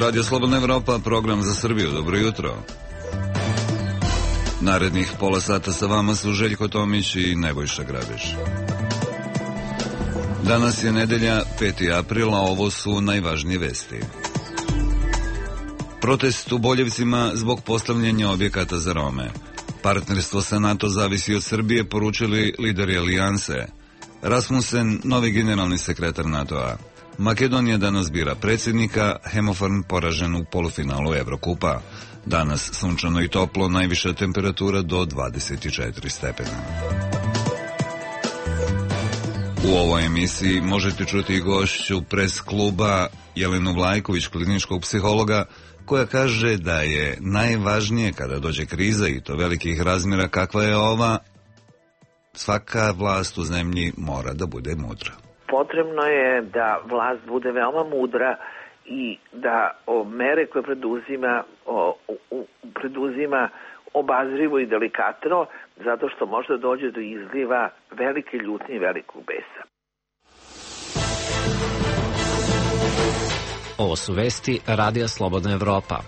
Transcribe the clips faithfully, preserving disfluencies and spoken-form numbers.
Radio Slobodna Evropa, program za Srbiju. Dobro jutro. Narednih pola sata sa vama su Željko Tomić i Nebojša Grabiš. Danas je nedelja, peti april, a ovo su najvažnije vesti. Protest u Boljevcima zbog postavljanja objekata za Rome. Partnerstvo sa NATO zavisi od Srbije, poručili lideri alijanse. Rasmussen, novi generalni sekretar NATO-a. Makedonija danas bira predsjednika, Hemofarm poražen u polufinalu Evrokupa. Danas sunčano i toplo, najviša temperatura do dvadeset četiri stepena. U ovoj emisiji možete čuti gošću pres kluba Jelenu Vlajković, kliničkog psihologa, koja kaže da je najvažnije kada dođe kriza i to velikih razmjera kakva je ova, svaka vlast u zemlji mora da bude mudra. Potrebno je da vlast bude veoma mudra i da o mere koje preduzima, o, o, preduzima obazrivo i delikatno, zato što možda dođe do izliva velike ljutnje i velikog besa. Ovo su vesti Radija Slobodna Evropa.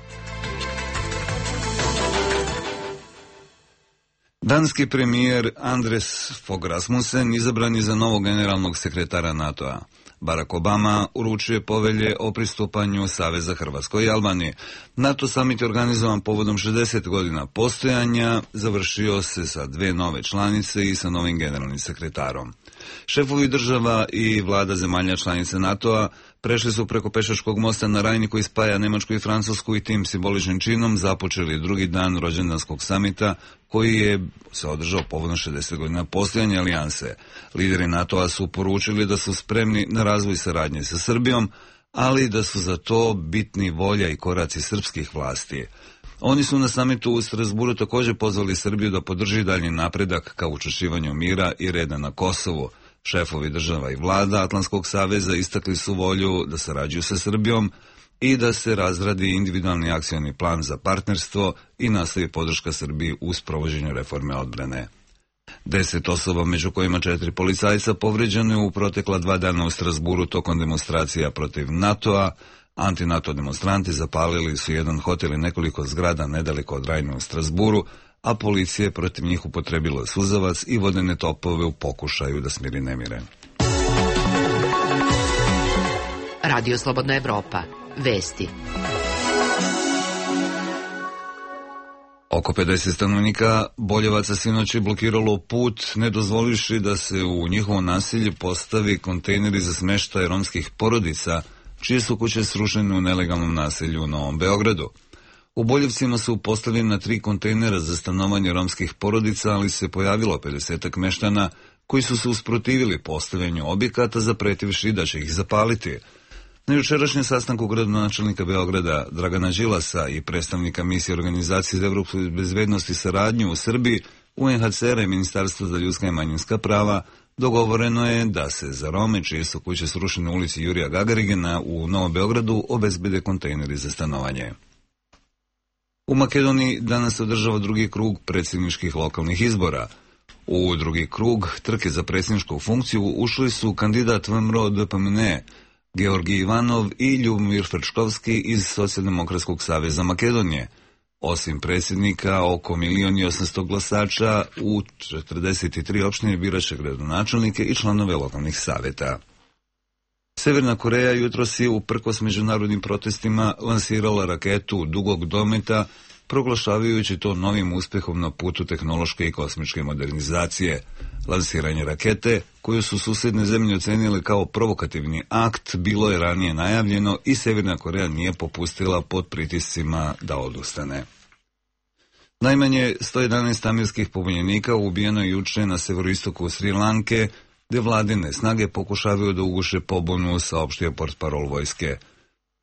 Danski premijer Anders Fogh Rasmussen izabran je za novog generalnog sekretara NATO-a. Barack Obama uručuje povelje o pristupanju Saveza Hrvatskoj i Albanije. NATO summit je organizovan povodom šezdeset godina postojanja, završio se sa dve nove članice i sa novim generalnim sekretarom. Šefovi država i vlada zemalja članice NATO-a prešli su preko pešačkog mosta na Rajni koji spaja Nemačku i Francusku i tim simboličnim činom započeli drugi dan rođendanskog samita koji je se održao povodom šezdeset godina postojanja alijanse. Lideri NATO-a su poručili da su spremni na razvoj saradnje sa Srbijom, ali da su za to bitni volja i koraci srpskih vlasti. Oni su na samitu u Strasburu također pozvali Srbiju da podrži dalji napredak ka učvršćivanju mira i reda na Kosovu. Šefovi država i vlada Atlantskog saveza istakli su volju da sarađuju sa Srbijom i da se razradi individualni akcioni plan za partnerstvo i nastavi podrška Srbiji u sprovođenju reforme odbrane. Deset osoba, među kojima četiri policajca, povređeno je u protekla dva dana u Strasburu tokom demonstracija protiv NATO-a. Anti-NATO demonstranti zapalili su jedan hotel i nekoliko zgrada nedaleko od Rajne u Strasburu, a policija je protiv njih upotrebila suzavac i vodene topove u pokušaju da smiri nemire. Radio Slobodna Evropa. Vesti. Oko pedeset stanovnika Boljevaca sinoć je blokiralo put, ne dozvolivši da se u njihovo naselje postavi kontejneri za smeštaj romskih porodica, čije su kuće srušene u nelegalnom naselju u Novom Beogradu. U Boljevcima su postavljena tri kontejnera za stanovanje romskih porodica, ali se pojavilo pedesetak meštana koji su se usprotivili postavljanju objekata, zapretivši da će ih zapaliti. Na jučerašnjem sastanku gradonačelnika Beograda Dragana Đilasa i predstavnika misije Organizacije za evropsku bezbednost i saradnju u Srbiji, U N H C R i Ministarstvo za ljudska i manjinska prava, dogovoreno je da se za Rome, čije su kuće srušene u ulici Jurija Gagarigena u Novom Beogradu, obezbede kontejneri za stanovanje. U Makedoniji danas se održava drugi krug predsjedničkih lokalnih izbora. U drugi krug trke za predsjedničku funkciju ušli su kandidat V M R O D P M N E, Georgi Ivanov i Ljubomir Frčkovski iz Socijaldemokratskog saveza Makedonije. Osim predsjednika, oko milion i osamsto glasača u četrdeset tri opštine biraće gradonačelnike i članove lokalnih savjeta. Severna Koreja jutros je uprkos međunarodnim protestima lansirala raketu dugog dometa, proglašavajući to novim uspjehom na putu tehnološke i kosmičke modernizacije. Lansiranje rakete, koju su susjedne zemlje ocenile kao provokativni akt, bilo je ranije najavljeno i Severna Koreja nije popustila pod pritiscima da odustane. Najmanje sto jedanaest amirskih pobunjenika ubijeno je juče na severoistoku Sri Lanke, gdje vladine snage pokušavaju da uguše pobunu, saopštio portparol vojske.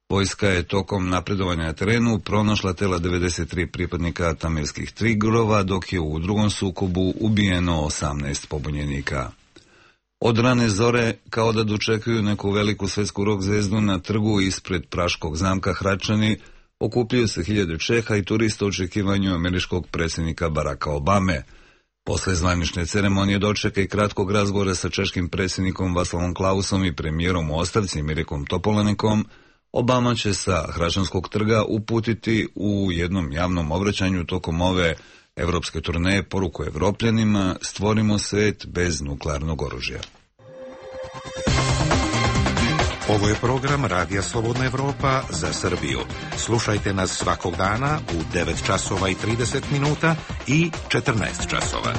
Vojska je tokom napredovanja na terenu pronašla tela devedeset tri pripadnika tamirskih tigrova, dok je u drugom sukobu ubijeno osamnaest pobunjenika. Od rane zore, kao da dočekuju neku veliku svetsku rock zvezdu na trgu ispred praškog zamka Hračani, okupljaju se hiljade Čeha i turista u očekivanju američkog predsjednika Baracka Obame. Posle zvanične ceremonije dočeka i kratkog razgovora sa češkim predsjednikom Václavom Klausom i premijerom u ostavci Mirekom Topolanekom, Obama će sa Hrašanskog trga uputiti u jednom javnom obraćanju tokom ove evropske turneje poruku Evropljanima: stvorimo svet bez nuklearnog oružja. Ovo je program Radija Slobodna Evropa za Srbiju. Slušajte nas svakog dana u devet časova i trideset minuta i četrnaest časova.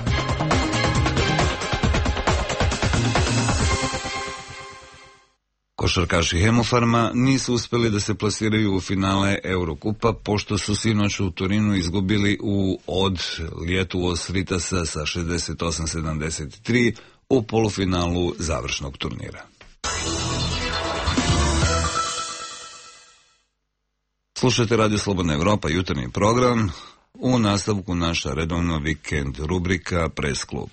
Košarkaši Hemofarma nisu uspeli da se plasiraju u finale Eurokupa, pošto su sinoć u Torinu izgubili u od Lietuvos Ritasa sa šezdeset osam sedamdeset tri u polufinalu završnog turnira. Slušajte Radio Slobodna Evropa, jutarnji program. U nastavku naša redovna vikend rubrika Pres klub.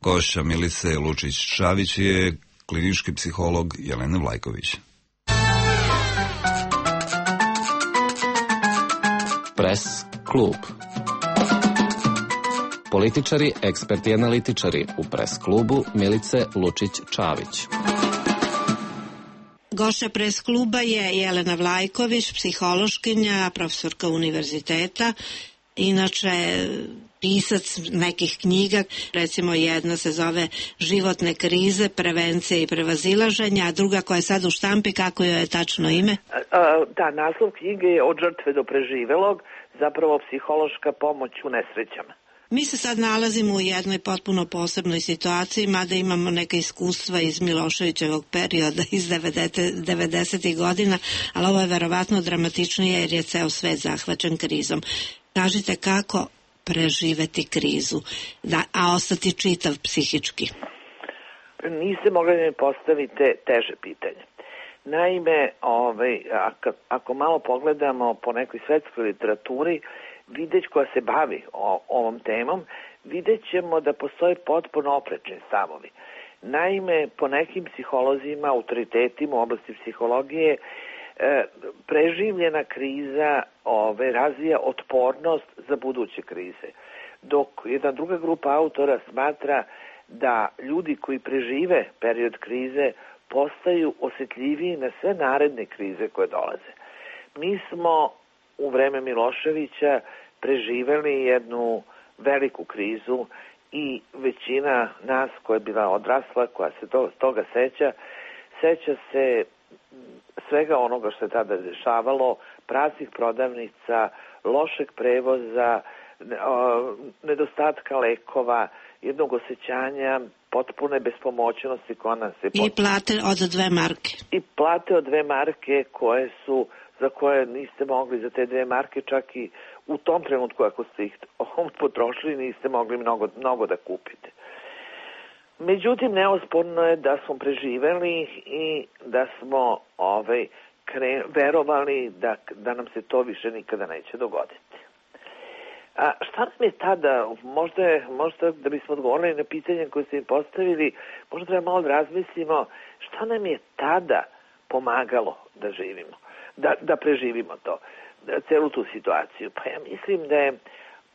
Gošća Milice Lučić-Čavić je klinički psiholog Jelena Vlajković. Pres klub. Političari, eksperti i analitičari u Pres klubu Milice Lučić-Čavić. Gošća Pres kluba je Jelena Vlajković, psihološkinja, profesorka univerziteta, inače pisac nekih knjiga, recimo jedna se zove Životne krize, prevencije i prevazilaženja, a druga koja je sad u štampi, kako joj je tačno ime? Da, naslov knjige je Od žrtve do preživelog, zapravo psihološka pomoć u nesrećama. Mi se sad nalazimo u jednoj potpuno posebnoj situaciji, mada imamo neka iskustva iz Miloševićevog perioda iz devedesetih godina, ali ovo je verovatno dramatičnije jer je ceo svet zahvaćen krizom. Kažite kako preživeti krizu, da, a ostati čitav psihički? Niste mogli da mi postavite teže pitanje. Naime, ovaj, ako, ako malo pogledamo po nekoj svetskoj literaturi, videć koja se bavi o, ovom temom, vidjet ćemo da postoje potpuno oprečni stavovi. Naime, po nekim psiholozima, autoritetima u oblasti psihologije, e, preživljena kriza ove, razvija otpornost za buduće krize. Dok jedna druga grupa autora smatra da ljudi koji prežive period krize postaju osjetljiviji na sve naredne krize koje dolaze. Mi smo u vreme Miloševića preživeli jednu veliku krizu i većina nas koja je bila odrasla, koja se to, toga seća, seća se svega onoga što je tada dešavalo, praznih prodavnica, lošeg prevoza, nedostatka lekova, jednog osjećanja potpune bespomoćnosti koja nas je... I plate od dve marke. I plate od dve marke koje su, za koje niste mogli za te dve marke, čak i u tom trenutku ako ste ih potrošili, niste mogli mnogo, mnogo da kupite. Međutim, neosporno je da smo preživeli i da smo ovaj, kre, verovali da, da nam se to više nikada neće dogoditi. A šta nam je tada, možda, je, možda da bismo odgovorili na pitanje koje ste im postavili, možda treba malo da razmislimo šta nam je tada pomagalo da živimo, da, da preživimo to, da, celu tu situaciju. Pa ja mislim da je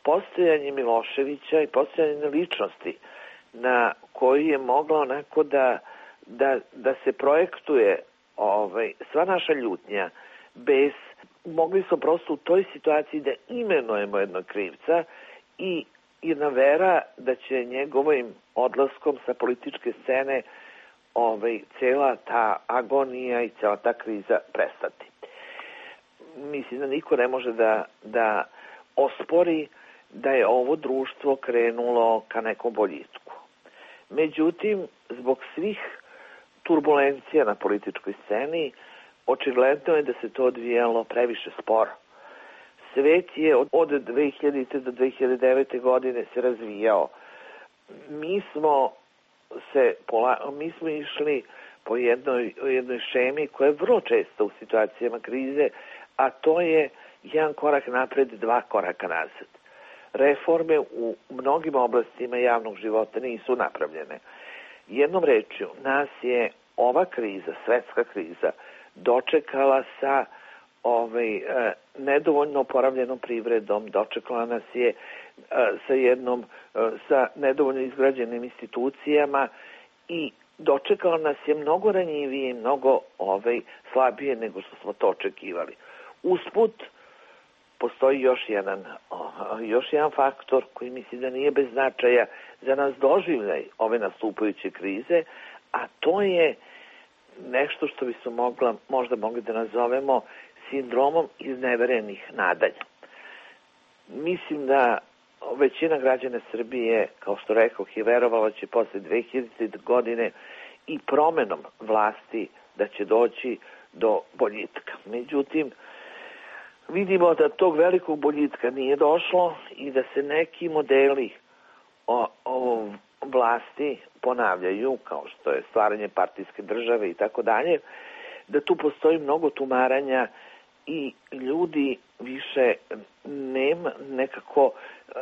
postojanje Miloševića i postojanje ličnosti na koji je moglo onako da, da, da se projektuje ovaj, sva naša ljutnja bez... Mogli smo prosto u toj situaciji da imenujemo jednog krivca i jedna vera da će njegovim odlaskom sa političke scene ovaj, cela ta agonija i cela ta kriza prestati. Mislim da niko ne može da, da ospori da je ovo društvo krenulo ka nekom boljitku. Međutim, zbog svih turbulencija na političkoj sceni, očigledno je da se to odvijalo previše sporo. Svet je od dve hiljadite do dve hiljade devete. godine se razvijao. Mi smo, se, mi smo išli po jednoj, jednoj šemi koja je vrlo često u situacijama krize, a to je jedan korak napred, dva koraka nazad. Reforme u mnogim oblastima javnog života nisu napravljene. Jednom rečju, nas je ova kriza, svetska kriza, dočekala sa ovaj, e, nedovoljno oporavljenom privredom, dočekala nas je e, sa jednom, e, sa nedovoljno izgrađenim institucijama i dočekalo nas je mnogo ranjivije, mnogo ovaj, slabije nego što smo to očekivali. Usput, postoji još jedan, još jedan faktor koji mislim da nije bez značaja za nas doživljaj ove nastupajuće krize, a to je nešto što bi se mogla, možda mogli da nazovemo sindromom izneverenih nadanja. Mislim da većina građana Srbije, kao što rekoh, je verovala će posle dve hiljadite godine i promenom vlasti da će doći do boljitka. Međutim, vidimo da tog velikog boljitka nije došlo i da se neki modeli o, o vlasti ponavljaju, kao što je stvaranje partijske države i tako dalje, da tu postoji mnogo tumaranja i ljudi više nema, nekako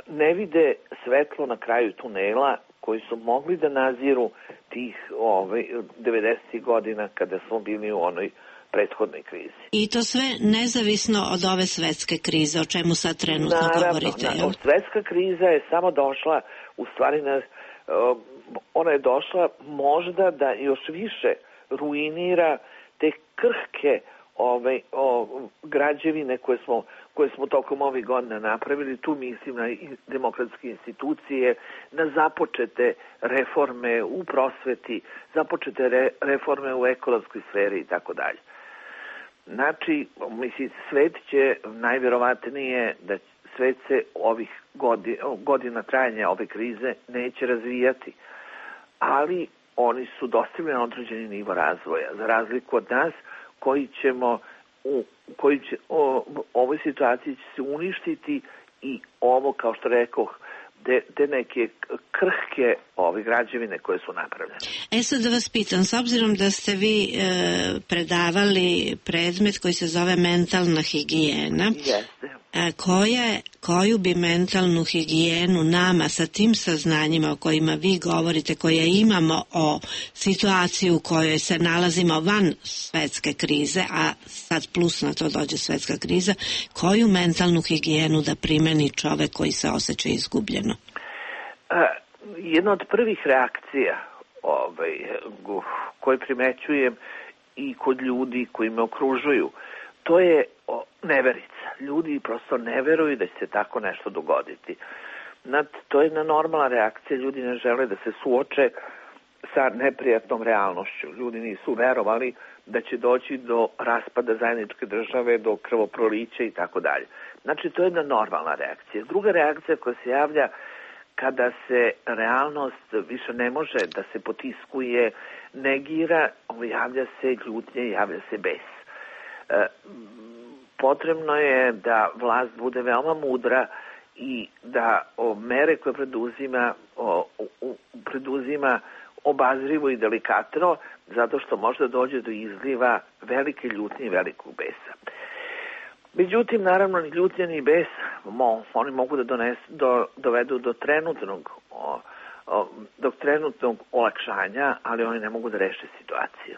ne vide svetlo na kraju tunela koji su mogli da naziru tih ovaj, devedesetih godina kada smo bili u onoj prethodnoj krizi. I to sve nezavisno od ove svetske krize, o čemu sad trenutno Naravno, govorite. Naravno, svetska kriza je samo došla, u stvari na, ona je došla možda da još više ruinira te krhke ove, o, građevine koje smo, koje smo tokom ovih godina napravili. Tu mislim na demokratske institucije, na započete reforme u prosveti, započete re, reforme u ekološkoj sferi i tako dalje. Znači, mislim, svet će najvjerovatnije da svet se ovih godina, godina trajanja ove krize neće razvijati, ali oni su dostigli na određeni nivo razvoja, za razliku od nas koji ćemo u koji će, o, ovoj situaciji će se uništiti i ovo, kao što rekoh, te, te neke krhke ove građevine koje su napravljene. E sad da vas pitam, s obzirom da ste vi e, predavali predmet koji se zove mentalna higijena, Jeste. E, koje, koju bi mentalnu higijenu nama sa tim saznanjima o kojima vi govorite, koje imamo o situaciji u kojoj se nalazimo van svetske krize, a sad plus na to dođe svetska kriza, koju mentalnu higijenu da primeni čovek koji se osjeća izgubljeno? A, jedna od prvih reakcija ovaj, koje primećujem i kod ljudi koji me okružuju, to je o, neverica. Ljudi prosto ne veruju da će se tako nešto dogoditi. Nad, to je jedna normalna reakcija. Ljudi ne žele da se suoče sa neprijatnom realnošću. Ljudi nisu verovali da će doći do raspada zajedničke države, do krvoprolića i tako dalje. Znači, to je jedna normalna reakcija. Druga reakcija koja se javlja kada se realnost više ne može da se potiskuje, negira, javlja se ljutnje, javlja se bes. E, potrebno je da vlast bude veoma mudra i da o, mere koje preduzima, o, o, preduzima obazrivo i delikatno, zato što može dođe do izliva velike ljutnje i velikog besa. Međutim, naravno, ni ljutnja ni bes, mo, oni mogu da dones, do, dovedu do trenutnog, o, o, do trenutnog olakšanja, ali oni ne mogu da reše situaciju.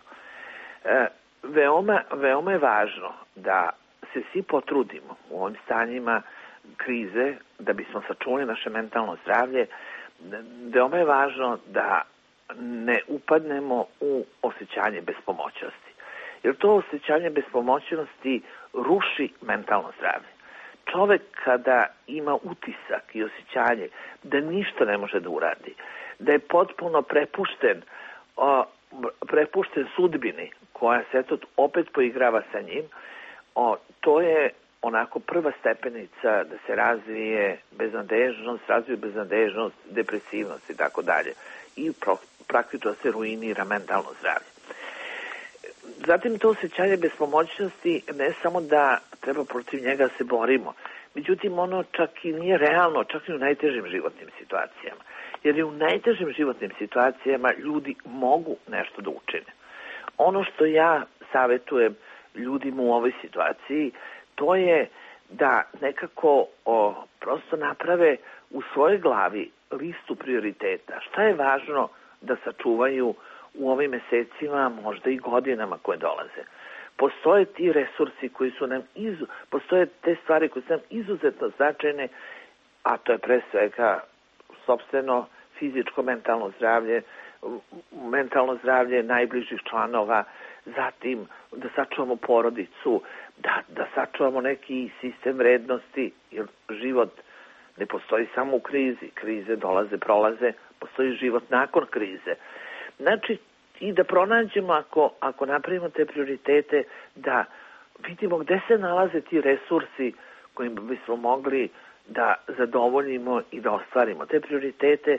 E, veoma, veoma je važno da se svi potrudimo u ovim stanjima krize, da bismo sačuvali naše mentalno zdravlje. Veoma je važno da ne upadnemo u osjećanje bespomoćnosti. Jer to osjećanje bespomoćnosti ruši mentalno zdravlje. Čovek kada ima utisak i osjećanje da ništa ne može da uradi, da je potpuno prepušten, o, prepušten sudbini koja se eto opet poigrava sa njim, o, to je onako prva stepenica da se razvije beznadežnost, razvije beznadežnost, depresivnost i tako dalje. I pro, praktično se ruinira mentalno zdravlje. Zatim to osjećanje bespomoćnosti ne samo da treba protiv njega se borimo, međutim ono čak i nije realno, čak i u najtežim životnim situacijama. Jer i u najtežim životnim situacijama ljudi mogu nešto da učine. Ono što ja savjetujem ljudima u ovoj situaciji, to je da nekako o, prosto naprave u svojoj glavi listu prioriteta. Šta je važno da sačuvaju u ovim mesecima, možda i godinama koje dolaze. Postoje ti resursi koji su nam izu, postoje te stvari koje su nam izuzetno značajne, a to je pre svega sopstveno fizičko, mentalno zdravlje, mentalno zdravlje najbližih članova, zatim da sačuvamo porodicu, da, da sačuvamo neki sistem vrednosti, jer život ne postoji samo u krizi. Krize dolaze, prolaze, postoji život nakon krize. Znači, i da pronađemo, ako, ako napravimo te prioritete, da vidimo gde se nalaze ti resursi kojim bismo mogli da zadovoljimo i da ostvarimo te prioritete.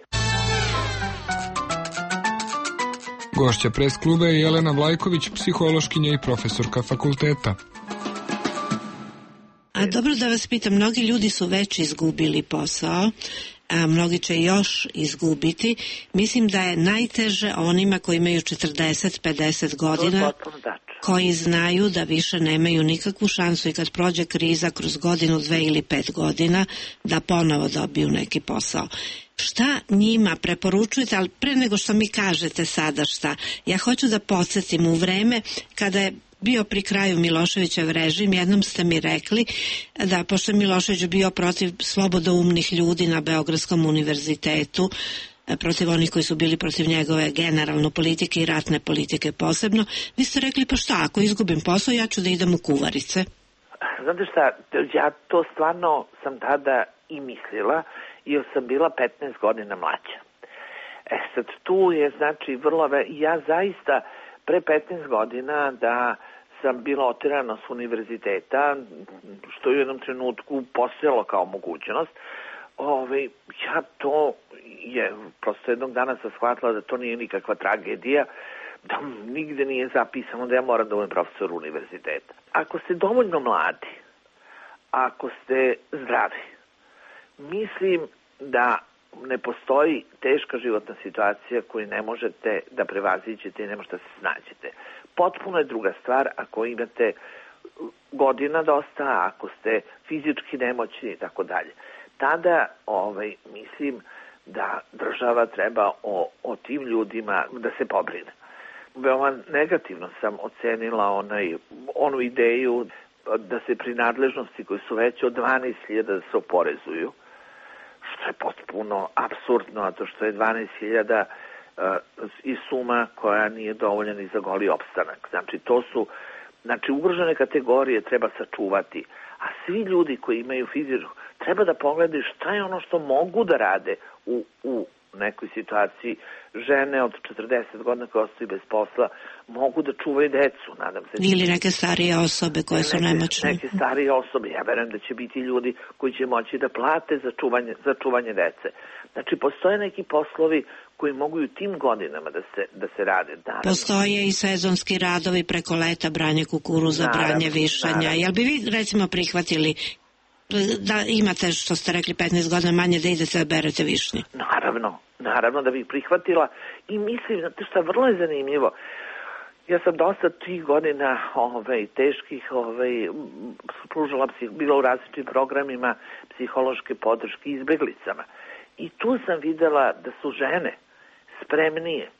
Gošća pres kluba je Jelena Vlajković, psihološkinja i profesorka fakulteta. A dobro da vas pitam, mnogi ljudi su već izgubili posao, a mnogi će još izgubiti. Mislim da je najteže onima koji imaju četrdeset pedeset godina, koji znaju da više nemaju nikakvu šansu i kad prođe kriza kroz godinu, dve ili pet godina, da ponovo dobiju neki posao. Šta njima preporučujete, ali pre nego što mi kažete sada šta, ja hoću da podsjetim u vreme kada je bio pri kraju Miloševićev režim, jednom ste mi rekli da pošto je Milošević bio protiv slobodoumnih ljudi na Beogradskom univerzitetu, protiv onih koji su bili protiv njegove generalno politike i ratne politike posebno, vi ste rekli pa šta, ako izgubim posao ja ću da idem u kuvarice. Znate šta, ja to stvarno sam tada i mislila, jer sam bila petnaest godina mlađa. E sad tu je znači vrlo, ja zaista pre petnaest godina da sam bila oterana s univerziteta, što je u jednom trenutku postojalo kao mogućnost, Ove, ja to je, prosto jednog dana sam shvatila da to nije nikakva tragedija, da nigde nije zapisano da ja moram da budem profesor univerziteta. Ako ste dovoljno mladi, ako ste zdravi, mislim da ne postoji teška životna situacija koju ne možete da prevaziđete i ne možete da se snađete. Potpuno je druga stvar ako imate godina dosta, ako ste fizički nemoćni i tako dalje. Tada ovaj, mislim da država treba o, o tim ljudima da se pobrine. Veoma negativno sam ocenila onaj, onu ideju da se prinadležnosti koje su veće od dvanaest hiljada da se oporezuju, što je potpuno apsurdno, a to što je dvanaest hiljada uh, i suma koja nije dovoljna ni za goli opstanak. Znači, to su, znači, ugrožene kategorije treba sačuvati, a svi ljudi koji imaju fizičku, treba da pogledaju šta je ono što mogu da rade u, u nekoj situaciji. Žene od četrdeset godina koje ostaju bez posla mogu da čuvaju decu, nadam se. Ili neke starije osobe koje su nemoćne. Neke starije osobe, ja verujem da će biti ljudi koji će moći da plate za čuvanje, za čuvanje dece. Znači, postoje neki poslovi koji mogu i u tim godinama da se, da se rade. Naravno. Postoje i sezonski radovi preko leta, branje kukuruza, naravno, branje višanja. Naravno. Jel bi vi, recimo, prihvatili da imate, što ste rekli, petnaest godina manje da idete da berete višnje? Naravno, naravno da bih prihvatila i mislim, znate šta, vrlo je zanimljivo. Ja sam dosta tih godina ovaj, teških ovaj, pružala, bila u različitim programima psihološke podrške izbeglicama. I tu sam videla da su žene spremnije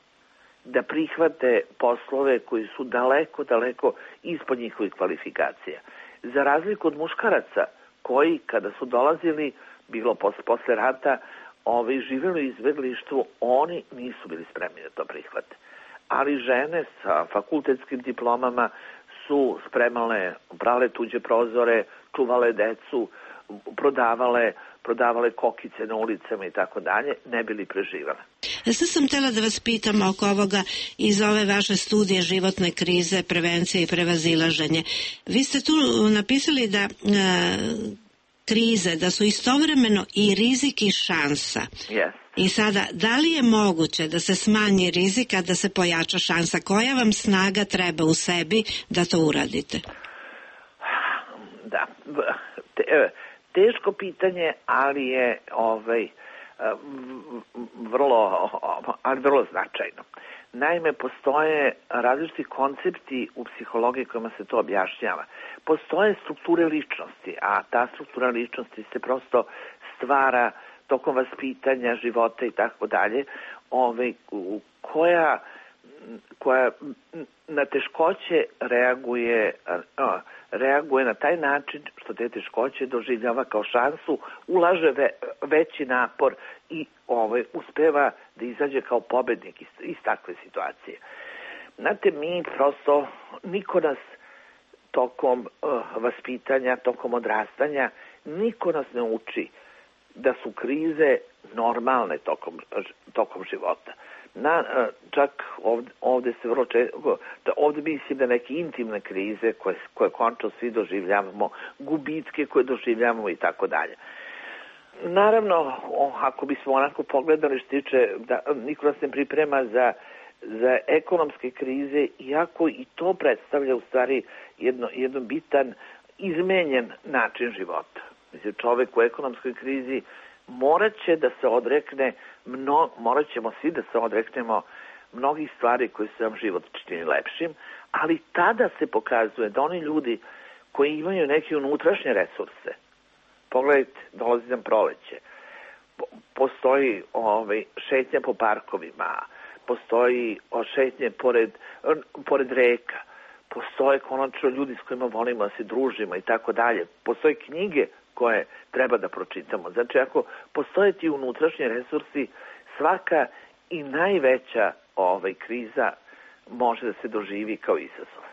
da prihvate poslove koji su daleko, daleko ispod njihovih kvalifikacija. Za razliku od muškaraca koji, kada su dolazili, bilo posle, posle rata, ovaj, živjeli u izbeglištvu, oni nisu bili spremni da to prihvate. Ali žene sa fakultetskim diplomama su spremale, brale tuđe prozore, čuvale decu, prodavale, prodavale kokice na ulicama i tako dalje, ne bili preživale. Sad sam htjela da vas pitam oko ovoga iz ove vaše studije životne krize, prevencije i prevazilaženje. Vi ste tu napisali da e, krize, da su istovremeno i rizik i šansa. Yes. I sada, da li je moguće da se smanji rizik, a da se pojača šansa? Koja vam snaga treba u sebi da to uradite? Da, te, teško pitanje, ali je ovaj, vrlo, ali vrlo značajno. Naime, postoje različiti koncepti u psihologiji kojima se to objašnjava. Postoje strukture ličnosti, a ta struktura ličnosti se prosto stvara tokom vaspitanja, života i tako dalje, koja koja na teškoće reaguje, reaguje na taj način što te teškoće doživljava kao šansu, ulaže ve, veći napor i ovaj, uspeva da izađe kao pobednik iz, iz takve situacije. Znate, mi prosto, niko nas tokom uh, vaspitanja, tokom odrastanja, niko nas ne uči da su krize normalne tokom, tokom života. Na, čak ovde, ovde se vrlo često, ovde mislim da neke intimne krize koje, koje končno svi doživljavamo, gubitke koje doživljavamo i tako dalje. Naravno, ako bismo onako pogledali što tiče, da niko nas ne priprema za, za ekonomske krize, iako i to predstavlja u stvari jedno, jedno bitan, izmenjen način života. Mislim, čovek u ekonomskoj krizi morat će da se odrekne, mno, morat ćemo svi da se odreknemo mnogih stvari koji su nam život čini lepšim, ali tada se pokazuje da oni ljudi koji imaju neke unutrašnje resurse, pogledajte, dolazi nam proleće, postoji ovaj, šetnja po parkovima, postoji šetnje pored, pored reka, postoje konačno ljudi s kojima volimo da se družimo i tako dalje, postoje knjige koje treba da pročitamo. Znači, ako postoje ti unutrašnji resursi, svaka i najveća ovaj, kriza može da se doživi kao izazov.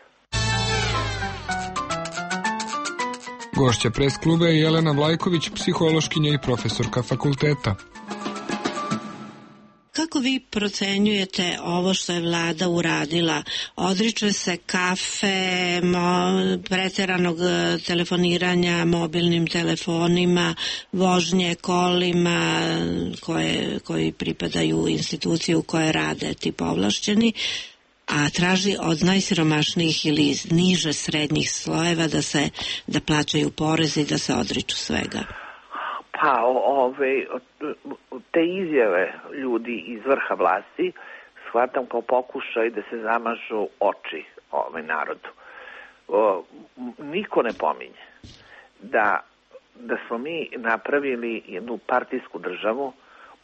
Gošća pres kluba je Jelena Vlajković, psihološkinja i profesorka fakulteta. Kako vi procenjujete ovo što je vlada uradila? Odriče se kafe, mo, preteranog telefoniranja mobilnim telefonima, vožnje kolima koje, koji pripadaju instituciji u kojoj rade ti povlašćeni, a traži od najsiromašnijih ili niže srednjih slojeva da se da plaćaju porez i da se odriču svega. Pa ove, te izjave ljudi iz vrha vlasti shvatam kao pokušaj da se zamažu oči ovaj narodu. O, niko ne pominje da, da smo mi napravili jednu partijsku državu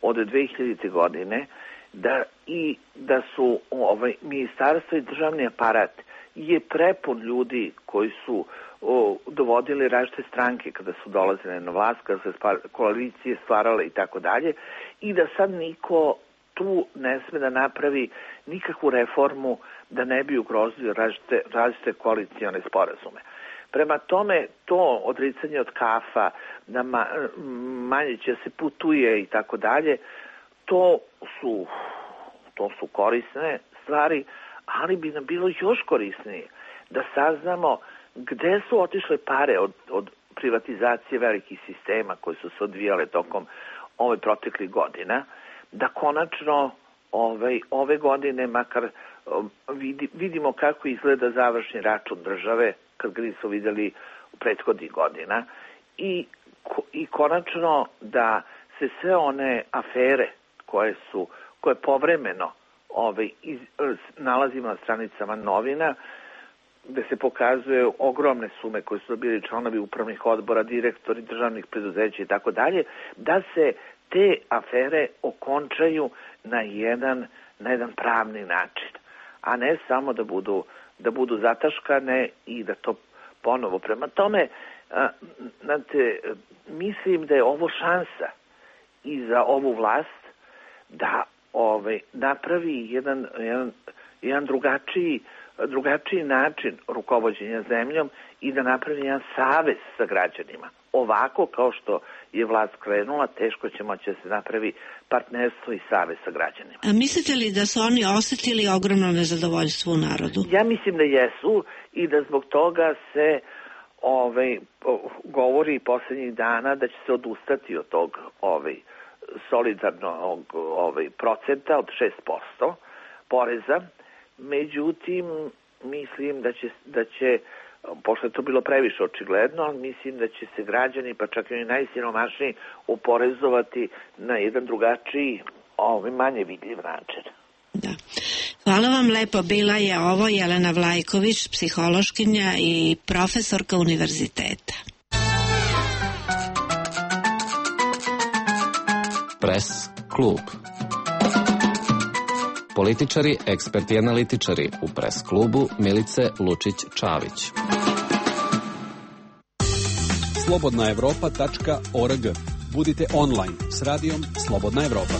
od dve hiljadite godine, da i da su ovaj, ministarstvo i državni aparat je prepun ljudi koji su o, dovodili različite stranke kada su dolazile na vlast, kada se spar, koalicije stvarale i tako dalje, i da sad niko tu ne sme da napravi nikakvu reformu da ne bi ugrozio različite, različite koalicione sporazume. Prema tome, to odricanje od kafa, da ma, manje će se putuje i tako dalje, to su, to su korisne stvari, ali bi nam bilo još korisnije da saznamo gde su otišle pare od, od privatizacije velikih sistema koje su se odvijale tokom ove proteklih godina, da konačno ove, ove godine makar vidi, vidimo kako izgleda završni račun države kad ga nisu videli u prethodnih godina i, i konačno da se sve one afere koje su, koje povremeno ove, iz, nalazimo na stranicama novina, gde se pokazuje ogromne sume koje su bili članovi upravnih odbora, direktori državnih preduzeća i tako dalje, da se te afere okončaju na jedan, na jedan pravni način, a ne samo da budu, da budu zataškane i da to ponovo. Prema tome, a, znate, mislim da je ovo šansa i za ovu vlast da ovaj, napravi jedan, jedan, jedan drugačiji drugačiji način rukovođenja zemljom i da napravi jedan savez sa građanima. Ovako kao što je vlast krenula, teško će moći da se napravi partnerstvo i savez sa građanima. A mislite li da su oni osetili ogromno nezadovoljstvo u narodu? Ja mislim da jesu i da zbog toga se ovaj, govori poslednjih dana da će se odustati od tog ovaj, solidarnog ovaj, procenta od šest posto poreza. Međutim, mislim da će, da će, pošto je to bilo previše očigledno, mislim da će se građani, pa čak i oni najsiromašniji, oporezovati na jedan drugačiji, ovaj, manje vidljiv način. Da. Hvala vam lepo. Bila je ovo Jelena Vlajković, psihološkinja i profesorka univerziteta. Pres klub. Političari, eksperti i analitičari u pres klubu Milice Lučić-Čavić. slobodna evropa tačka org. Budite online s radijom Slobodna Evropa.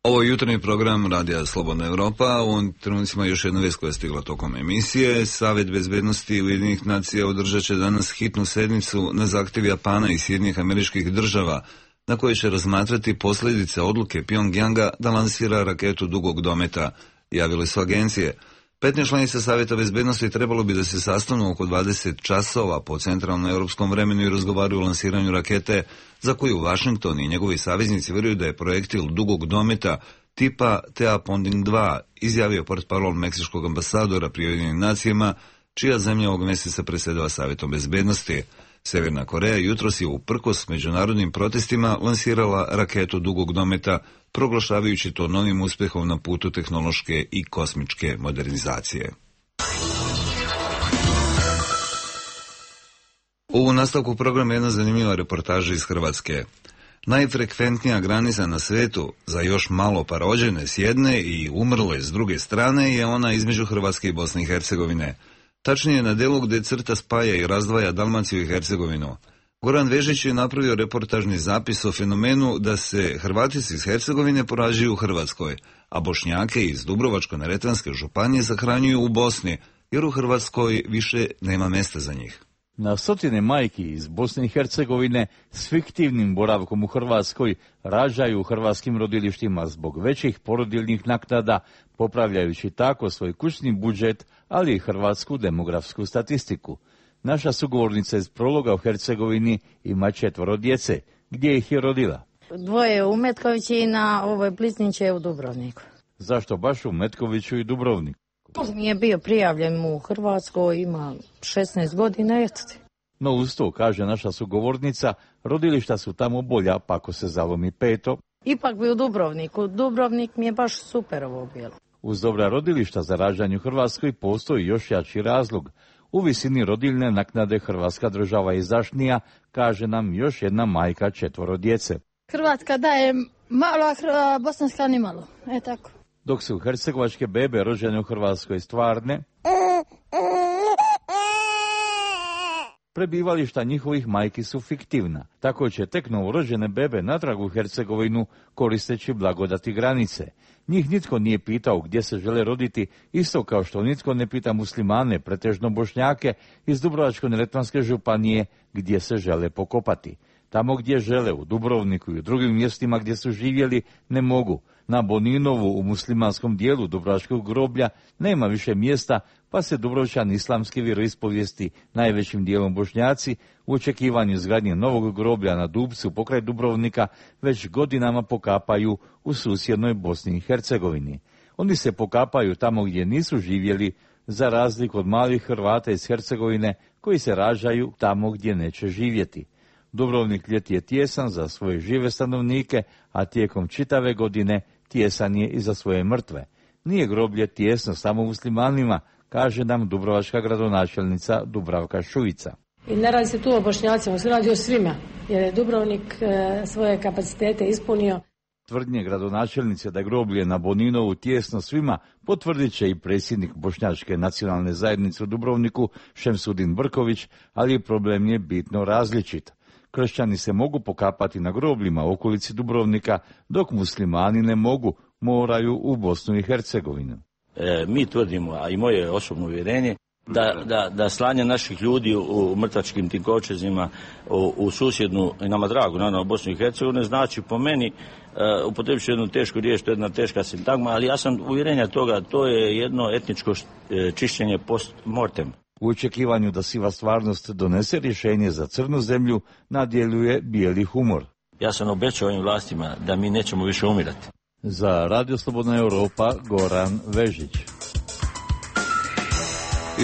Ovo je jutarnji program Radija Slobodna Evropa. U ovom trenucima još jedna vest koja je stigla tokom emisije. Savet bezbednosti Ujedinjenih nacija održat će danas hitnu sednicu na zahtjev Japana i Sjedinjenih Američkih Država, na kojoj će razmatrati posljedice odluke Pjongjanga da lansira raketu dugog dometa, javile su agencije. petnaest članica Savjeta bezbednosti trebalo bi da se sastanu oko dvadeset časova po centralnom europskom vremenu i razgovaraju o lansiranju rakete, za koju Washington i njegovi saveznici vjeruju da je projektil dugog dometa tipa T A Ponding dva, izjavio portparol meksičkog ambasadora pri Ujedinjenim nacijama, čija zemlja ovog mjeseca predsjedava Savjetom bezbednosti. Severna Koreja jutros je uprkos međunarodnim protestima lansirala raketu dugog dometa, proglašavajući to novim uspjehom na putu tehnološke i kosmičke modernizacije. U nastavku programa jedna zanimljiva reportaža iz Hrvatske. Najfrekventnija granica na svetu za još malo pa rođene s jedne i umrle s druge strane je ona između Hrvatske i Bosne i Hercegovine. Tačnije na delu gdje crta spaja i razdvaja Dalmaciju i Hercegovinu. Goran Vežić je napravio reportažni zapis o fenomenu da se Hrvatici iz Hercegovine porađuju u Hrvatskoj, a Bošnjake iz Dubrovačko-neretvanske županije sahranjuju u Bosni, jer u Hrvatskoj više nema mjesta za njih. Na stotine majki iz Bosne i Hercegovine s fiktivnim boravkom u Hrvatskoj rađaju u hrvatskim rodilištima zbog većih porodiljnih naknada, popravljajući tako svoj kućni budžet, ali i hrvatsku demografsku statistiku. Naša sugovornica iz Prologa u Hercegovini ima četvoro djece. Gdje ih je rodila? Dvoje u Metkoviću i na ovoj Plisniće u Dubrovniku. Zašto baš u Metkoviću i Dubrovniku? Nije bio prijavljen u Hrvatskoj, ima šesnaest godina, eto ti. No uz to, kaže naša sugovornica, rodilišta su tamo bolja, pa ako se zalomi peto. Ipak bi u Dubrovniku. Dubrovnik mi je baš super ovo bilo. Uz dobra rodilišta za rađanje u Hrvatskoj postoji još jači razlog. U visini rodiljne naknade Hrvatska država je izdašnija, kaže nam još jedna majka četvoro djece. Hrvatska daje malo, a bosanska ni malo. E tako. Dok su hercegovačke bebe rođene u Hrvatskoj stvarne, prebivališta njihovih majki su fiktivna. Tako će tek novorođene bebe natrag u Hercegovinu koristeći blagodati granice. Njih nitko nije pitao gdje se žele roditi, isto kao što nitko ne pita muslimane, pretežno Bošnjake, iz Dubrovačko-neretvanske županije gdje se žele pokopati. Tamo gdje žele, u Dubrovniku i u drugim mjestima gdje su živjeli, ne mogu. Na Boninovu u muslimanskom dijelu Dubrovačkog groblja nema više mjesta, pa se Dubrovčani islamske vjeroispovijesti, najvećim dijelom Bošnjaci, u očekivanju izgradnje novog groblja na Dubcu pokraj Dubrovnika već godinama pokapaju u susjednoj Bosni i Hercegovini. Oni se pokapaju tamo gdje nisu živjeli, za razliku od malih Hrvata iz Hercegovine koji se rađaju tamo gdje neće živjeti. Dubrovnik ljeti je tijesan za svoje žive stanovnike, a tijekom čitave godine tijesan je i za svoje mrtve. Nije groblje tijesno samo muslimanima, kaže nam dubrovačka gradonačelnica Dubravka Šuica. I ne radi se tu o Bošnjacima, se radi o svima, jer je Dubrovnik e, svoje kapacitete ispunio. Tvrdnje gradonačelnice da je groblje na Boninovu tijesno svima potvrdit će i predsjednik Bošnjačke nacionalne zajednice u Dubrovniku Šemsudin Brković, ali problem je bitno različit. Kršćani se mogu pokapati na grobljima u okolici Dubrovnika, dok muslimani ne mogu, moraju u Bosnu i Hercegovinu. E, mi tvrdimo, a i moje osobno uvjerenje, da, da, da slanje naših ljudi u, u mrtvačkim tim kovčezima u, u susjednu, i nama dragu, naravno, Bosnu i Hercegovinu, znači po meni, e, upotrebit ću jednu tešku riječ, to je jedna teška sintagma, ali ja sam uvjerenja toga, to je jedno etničko čišćenje post mortem. U očekivanju da siva stvarnost donese rješenje za crnu zemlju, nadjeljuje bijeli humor. Ja sam obećao ovim vlastima da mi nećemo više umirati. Za Radio Slobodna Europa, Goran Vežić.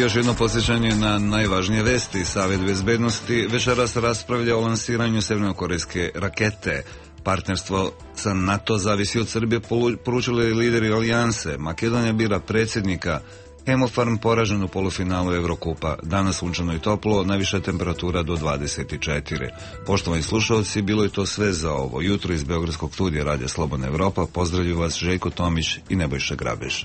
Još jedno podsjećanje na najvažnije vesti. Savjet bezbednosti večeras raspravlja o lansiranju severnokorejske rakete. Partnerstvo sa NATO zavisi od Srbije, poručili lideri alijanse. Makedonija bira predsjednika. Hemofarm poražen u polufinalu Evrokupa. Danas sunčano i toplo, najviša temperatura do dvadeset četiri. Poštovani slušalci, bilo je to sve za ovo jutro iz Beogradskog studija Radija Slobodna Evropa. Pozdravlju vas Željko Tomić i Nebojša Grabež.